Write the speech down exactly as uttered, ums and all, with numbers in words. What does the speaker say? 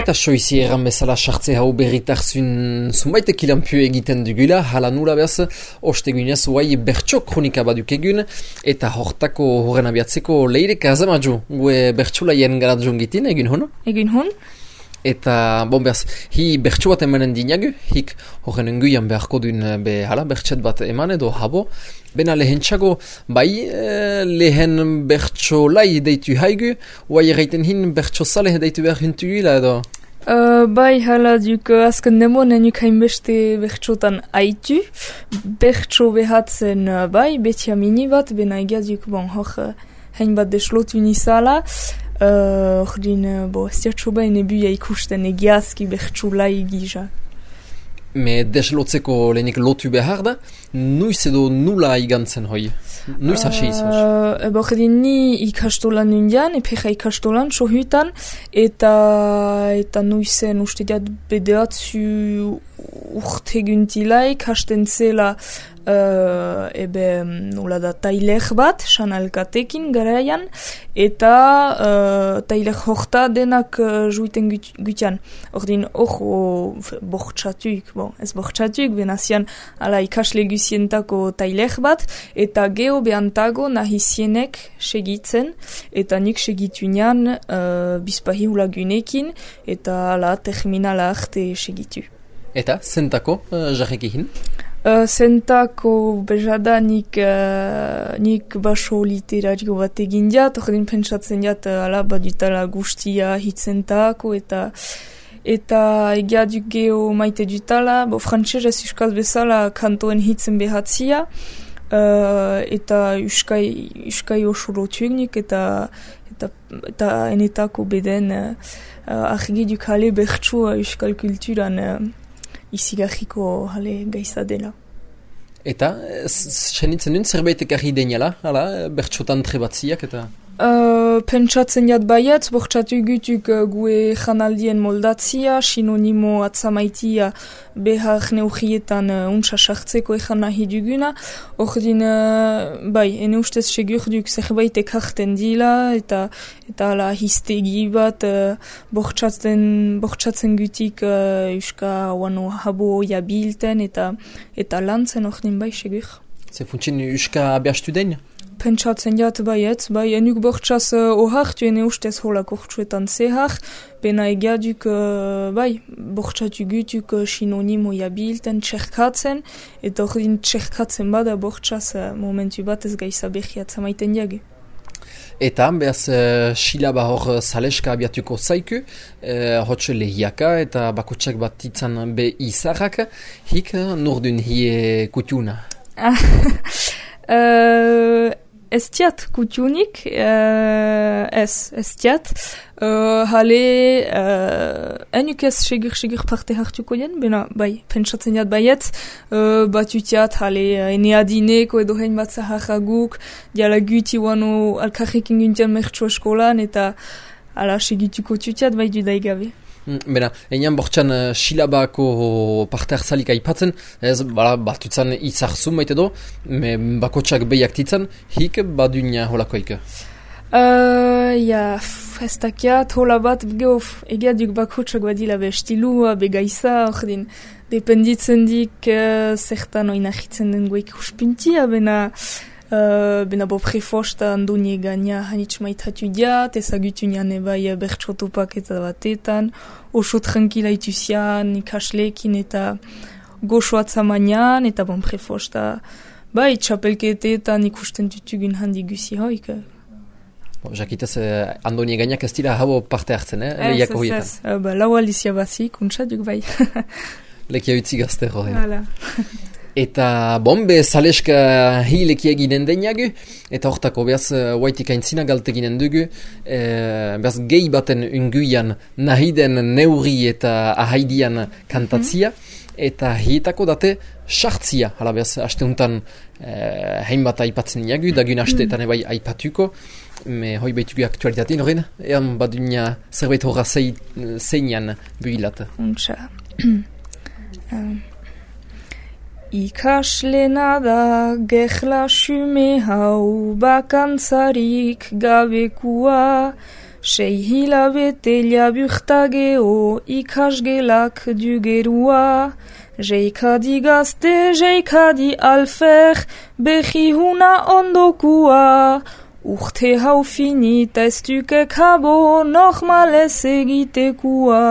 Baita soizi erran bezala sartze hau berritarzun zunbaitek ilanpio egiten dugula, hala nula behaz, ostegunez guai bertso kronika baduk egun, eta hortako horren abiatzeko leirek azamaju, gue bertsolaien garat jongitin, egin hon? Egin hon. Eta, bon behaz, hi bertso bat emanen dinagu, hik horren enguian beharko duen be, hala, bertset bat eman edo habo, bena lehentxago, bai, e, lehen bertsolai deitu haigu, guai erraiten hin bertsozale deitu behar hintu gila edo? Uh, bai, hala duk uh, azken demonen uk hainbeste bertsotan haitu. Bertso behatzen uh, bai, betia mini bat, bena egiazuk, bon, hor, uh, hainbat deslotu nizala. Hor uh, din, uh, bo, ez diatxo bai nebuia ikusten egiazki bertsolai gija. Me deslotzeko lehenik lotu behar da, nuiz edo nula igantzen hoi? Nuiz hasi izan? Uh, Eba hori ni ikastolan indian, epeja ikastolan, sohutan, eta, eta nuizen uste diat bedeatzu urte guntilaik, hasten zela uh, ebe nola da tailer bat, sanalkatekin garaian, eta uh, tailer horta denak uh, juiten gutian. Ordin hor bortxatuk, bon, ez bortxatuk, benazian ala ikasle guzientako tailer bat, eta geho behantago nahizienek segitzen, eta nik segitunean uh, bizpahi hulagunekin, eta ala terminala arte segitu. Eta, zentako, uh, jarrekihin? Uh, zentako bejada nik, uh, nik baso literario bat egin diat, ordin pentsatzen diat, uh, ala badutala guztia hitzentako, eta eta egia duk geho maite dutala, bo frantxez ez euskal bezala kantoen hitzen behatzia, uh, eta euskai, euskai oso lotuek nik, eta, eta, eta enetako beden uh, uh, argi duk hale bertso euskal kulturan uh, izigarriko hale gaiza dela. Eta, senitzen duen zerbaitek argi deniala, hala, bertsotan trebatziak eta... Uh, pentsatzen jat baietz, bortxatu gutuk uh, gue janaldien moldatzia, sinonimo atzamaitia behar neugietan uh, untsa sartzeko ejan nahi duguna. Ordin, uh, bai, ene ustez segur duk zerbaitek hartzen dila, eta eta ala histegi bat uh, bortxatzen, bortxatzen gutik uh, euska wano habo jabilten, eta eta lantzen ordin bai segur. Ze funtsin euska abiastu den? Pentsatzen jat baietz, bai, enuk bortxaz uh, ohartu ene ustez holak ortsuetan zehar, bena egiaduk, uh, bai, bortxatu gutuk uh, sinonimo jabilten txerkatzen, eta ordin txerkatzen bada bortxaz uh, momentu bat ez gaiza behiatza maiten jage. Eta, behaz, uh, silaba hor saleska abiatuko zaiku, uh, hotxe lehiaka eta bakotxak bat itzan be izarrak, hik nordun hie kutuna? uh, Ez tiat kutiunik, uh, ez, ez tiat. Uh, hale, uh, enuk ez segur-segur parte hartuko jen, bena, bai, pentsatzen jat baietz, uh, batu tiat, hale, ene adineko edo hein bat zaharraguk, diala guti wano alkarrik inguntian mertso eskolan, eta ala segituko tutiat bai dudaigabe. Bena, einan bortxan uh, silabako parte hartzalik aipatzen, ez, bala, batutzen izarzu maite do, me bakotxak behiak titzen, hik badunia holakoik? Uh, ja, ez dakiat, hola bat, geof, egia duk bakotxak badila be estilua, be gaiza, ordin, dependitzen dik uh, zertan oinahitzen den goik uspintia, bena... Uh, bena bo prefosta andoni egania hanitz maitatu diat, ezagutu nian ebai bertsotopak eta batetan, oso tranquila ituzian, ikaslekin eta goxo atzamanian, eta bon prefosta, bai, txapelketetan ikusten tutugun handi guzi hoik. Bon, jakitez, eh, andoni eganiak ez dira habo parte hartzen, eh? Lehiako horietan. Ez, ez, ez, uh, lau alizia bazik, untsatuk bai. Lekia utzi gazte horrein. Hala. Eta bombe saleska hileki eginen deinagu, eta hortako behaz huaitik aintzina galteginen dugu, e, behaz gehi baten unguian nahiden neuri eta ahaidian kantatzia, eta hietako date sartzia, hala behaz asteuntan e, hainbat aipatzen inagu, dagun asteetan ebai aipatuko, me hoi behitugu aktualitatein horren, ean badunia zerbait horra zeinan buhilat. Untsa. um. Ikaslena da gehla xume hau bakantzarik gabekua, Sei hilabete laburtageo ikasgelak dugerua. Jeikadi gazte, jeikadi alfer, behi huna ondokua. Urte hau finita ez duke kabo, nochmales egitekua.